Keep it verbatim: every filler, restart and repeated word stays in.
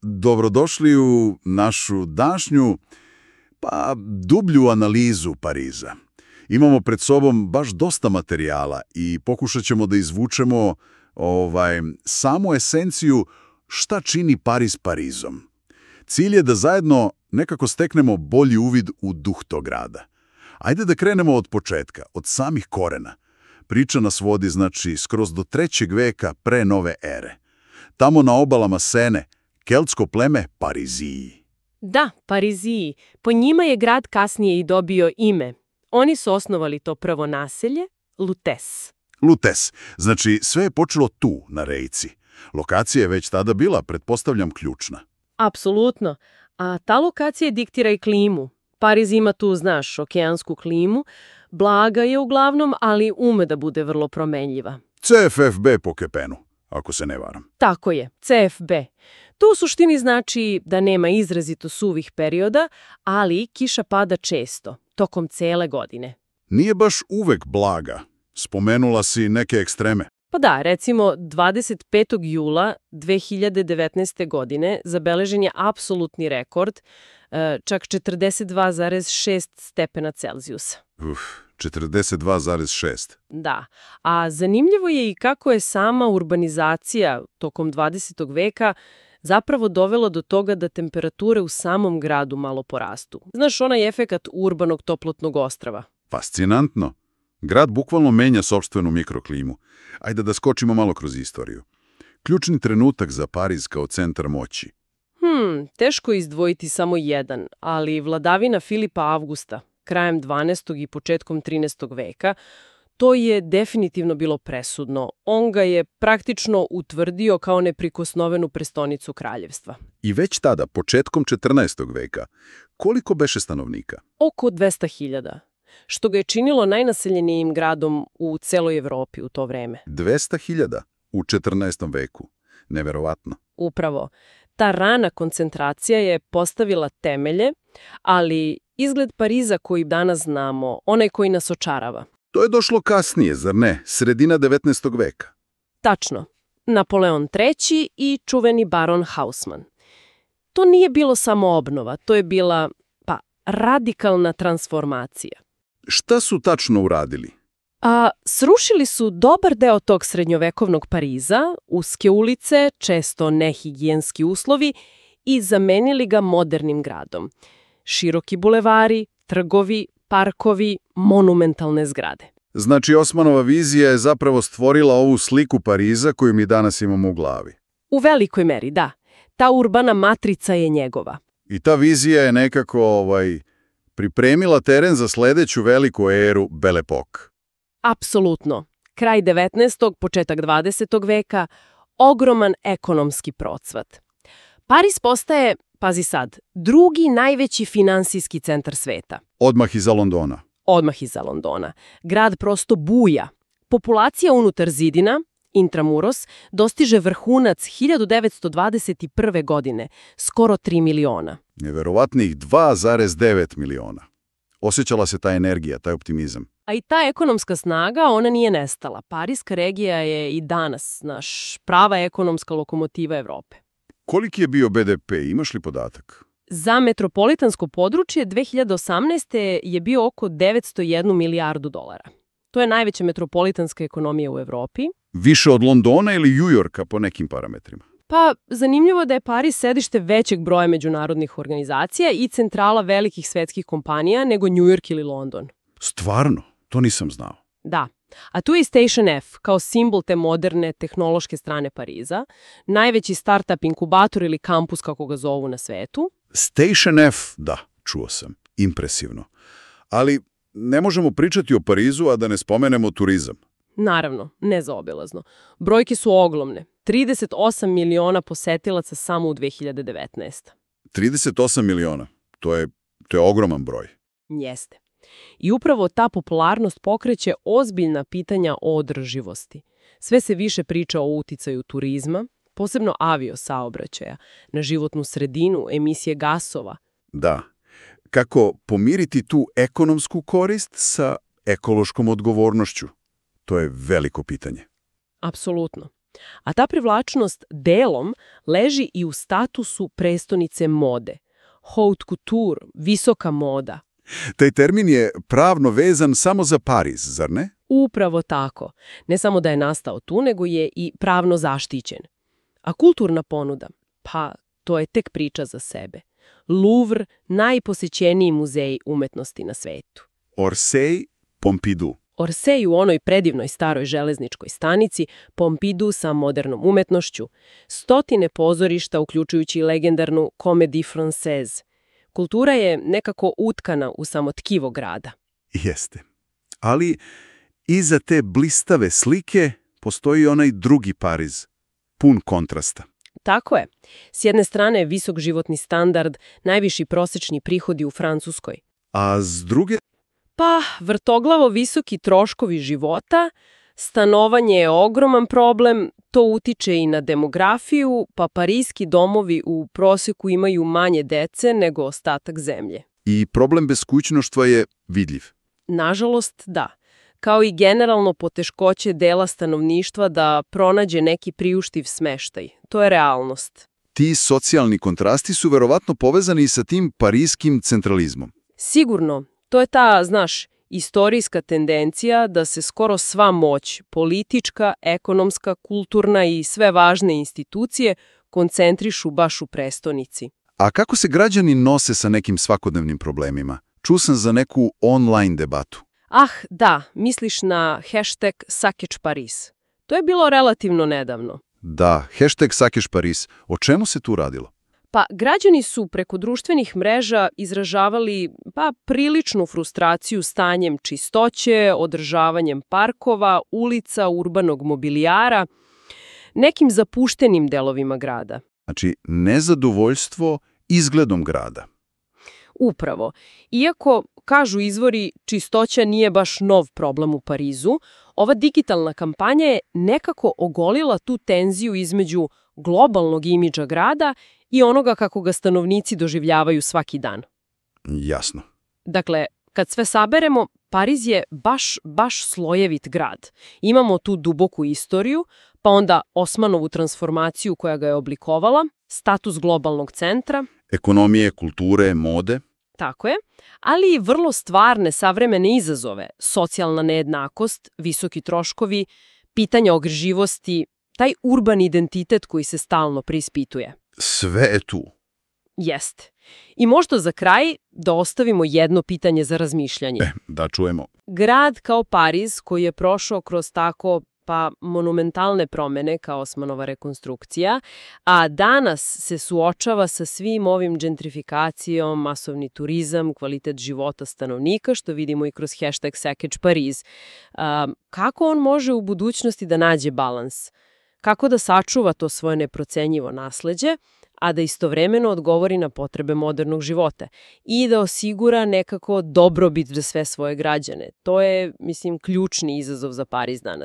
Dobrodošli u našu današnju, pa dublju analizu Pariza. Imamo pred sobom baš dosta materijala i pokušat ćemo da izvučemo ovaj, samu esenciju šta čini Pariz Parizom. Cilj je da zajedno nekako steknemo bolji uvid u duh tog grada. Ajde da krenemo od početka, od samih korena. Priča nas vodi, znači, skroz do trećeg veka pre nove ere. Tamo na obalama Sene, keltsko pleme Pariziji. Da, Pariziji. Po njima je grad kasnije i dobio ime. Oni su osnovali to prvo naselje, Lutes. Lutes. Znači, sve je počelo tu, na rejci. Lokacija je već tada bila, pretpostavljam, ključna. Apsolutno. A ta lokacija diktira i klimu. Pariz ima tu, znaš, okeansku klimu. Blaga je uglavnom, ali ume da bude vrlo promenljiva. C F F B po Kepenu, ako se ne varam. Tako je, C F B. To u suštini znači da nema izrazito suvih perioda, ali kiša pada često, tokom cele godine. Nije baš uvek blaga. Spomenula si neke ekstreme. Pa da, recimo dvadeset petog jula dve hiljade devetnaeste. godine zabeležen je apsolutni rekord, čak četrdeset dva zarez šest stepena Celzijusa. Uf, četrdeset dva zarez šest. Da, a zanimljivo je i kako je sama urbanizacija tokom dvadesetog veka zapravo dovela do toga da temperature u samom gradu malo porastu. Znaš, onaj efekat urbanog toplotnog ostrava. Fascinantno. Grad bukvalno menja sopstvenu mikroklimu. Ajde da skočimo malo kroz istoriju. Ključni trenutak za Pariz kao centar moći. Hmm, teško je izdvojiti samo jedan, ali vladavina Filipa Avgusta, krajem dvanaestog i početkom trinaestog veka, to je definitivno bilo presudno. On ga je praktično utvrdio kao neprikosnovenu prestonicu kraljevstva. I već tada, početkom četrnaestog veka, koliko beše stanovnika? Oko dvesta hiljada, što ga je činilo najnaseljenijim gradom u celoj Evropi u to vreme. dvesta hiljada u četrnaestom veku. Neverovatno. Upravo. Ta rana koncentracija je postavila temelje, ali izgled Pariza koji danas znamo, onaj koji nas očarava. To je došlo kasnije, zar ne? Sredina devetnaestog veka. Tačno. Napoleon treći i čuveni baron Haussmann. To nije bilo samo obnova, to je bila, pa, radikalna transformacija. Šta su tačno uradili? A srušili su dobar deo tog srednjovekovnog Pariza, uske ulice, često nehigijenski uslovi i zamenili ga modernim gradom. Široki bulevari, trgovi, parkovi, monumentalne zgrade. Znači, Osmanova vizija je zapravo stvorila ovu sliku Pariza koju mi danas imamo u glavi. U velikoj meri, da. Ta urbana matrica je njegova. I ta vizija je nekako ovaj, pripremila teren za sledeću veliku eru Belle Époque. Apsolutno. Kraj devetnaestog. početak dvadesetog veka, ogroman ekonomski procvat. Pariz postaje, pazi sad, drugi najveći finansijski centar sveta. Odmah iza Londona. Odmah iza Londona. Grad prosto buja. Populacija unutar zidina, intramuros, dostiže vrhunac hiljadu devetsto dvadeset prve. godine, skoro tri miliona. Neverovatnih dva zarez devet miliona. Osjećala se ta energija, taj optimizam. A i ta ekonomska snaga, ona nije nestala. Parijska regija je i danas naš prava ekonomska lokomotiva Evrope. Koliki je bio B D P, imaš li podatak? Za metropolitansko područje dve hiljade osamnaeste. je bio oko devetsto jednu milijardu dolara. To je najveća metropolitanska ekonomija u Evropi. Više od Londona ili New Yorka po nekim parametrima? Pa, zanimljivo je da je Pariz sedište većeg broja međunarodnih organizacija i centrala velikih svetskih kompanija nego New York ili London. Stvarno? To nisam znao. Da. A tu je i Station F, kao simbol te moderne tehnološke strane Pariza, najveći startup inkubator ili kampus, kako ga zovu na svetu. Station F, da, čuo sam. Impresivno. Ali ne možemo pričati o Parizu, a da ne spomenemo turizam. Naravno, nezaobilazno. Brojke su ogromne. trideset osam miliona posetilaca samo u dve hiljade devetnaestoj. trideset osam miliona. To je, to je ogroman broj. Jeste. I upravo ta popularnost pokreće ozbiljna pitanja o održivosti. Sve se više priča o uticaju turizma, posebno aviosaobraćaja, na životnu sredinu, emisije gasova. Da. Kako pomiriti tu ekonomsku korist sa ekološkom odgovornošću? To je veliko pitanje. Apsolutno. A ta privlačnost delom leži i u statusu prestonice mode. Haute couture, visoka moda. Taj termin je pravno vezan samo za Pariz, zar ne? Upravo tako. Ne samo da je nastao tu, nego je i pravno zaštićen. A kulturna ponuda? Pa, to je tek priča za sebe. Louvre, najposećeniji muzej umetnosti na svetu. Orsay, Pompidou. Orsay u onoj predivnoj staroj železničkoj stanici, Pompidou sa modernom umetnošću, stotine pozorišta uključujući i legendarnu Comédie Française. Kultura je nekako utkana u samo tkivo grada. Jeste. Ali iza te blistave slike postoji onaj drugi Pariz, pun kontrasta. Tako je. S jedne strane visok životni standard, najviši prosječni prihodi u Francuskoj. A s druge? Pa, vrtoglavo visoki troškovi života, stanovanje je ogroman problem, to utiče i na demografiju, pa parijski domovi u prosjeku imaju manje dece nego ostatak zemlje. I problem beskućnoštva je vidljiv. Nažalost, da. Kao i generalno poteškoće dela stanovništva da pronađe neki priuštiv smeštaj. To je realnost. Ti socijalni kontrasti su verovatno povezani sa tim parijskim centralizmom. Sigurno. To je ta, znaš, istorijska tendencija da se skoro sva moć, politička, ekonomska, kulturna i sve važne institucije koncentrišu baš u prestonici. A kako se građani nose sa nekim svakodnevnim problemima? Čuo sam za neku online debatu. Ah, da, misliš na hashtag Sakeč Paris. To je bilo relativno nedavno. Da, hashtag Sakeč Paris. O čemu se tu radilo? Pa građani su preko društvenih mreža izražavali pa priličnu frustraciju stanjem čistoće, održavanjem parkova, ulica, urbanog mobilijara, nekim zapuštenim delovima grada. Znači, nezadovoljstvo izgledom grada. Upravo. Iako, kažu izvori, čistoća nije baš nov problem u Parizu, ova digitalna kampanja je nekako ogolila tu tenziju između globalnog imidža grada i onoga kako ga stanovnici doživljavaju svaki dan. Jasno. Dakle, kad sve saberemo, Pariz je baš, baš slojevit grad. Imamo tu duboku istoriju, pa onda Osmanovu transformaciju koja ga je oblikovala, status globalnog centra. Ekonomije, kulture, mode. Tako je, ali i vrlo stvarne savremene izazove, socijalna nejednakost, visoki troškovi, pitanja ogrživosti, taj urbani identitet koji se stalno preispituje. Sve je tu. Jeste. I možda za kraj da ostavimo jedno pitanje za razmišljanje. E, da čujemo. Grad kao Pariz koji je prošao kroz tako pa monumentalne promene kao Osmanova rekonstrukcija, a danas se suočava sa svim ovim gentrifikacijom, masovni turizam, kvalitet života stanovnika, što vidimo i kroz hashtag Sakeč Paris. A, kako on može u budućnosti da nađe balans? Kako da sačuva to svoje neprocenjivo nasleđe, a da istovremeno odgovori na potrebe modernog života i da osigura nekako dobrobit za sve svoje građane? To je, mislim, ključni izazov za Pariz danas.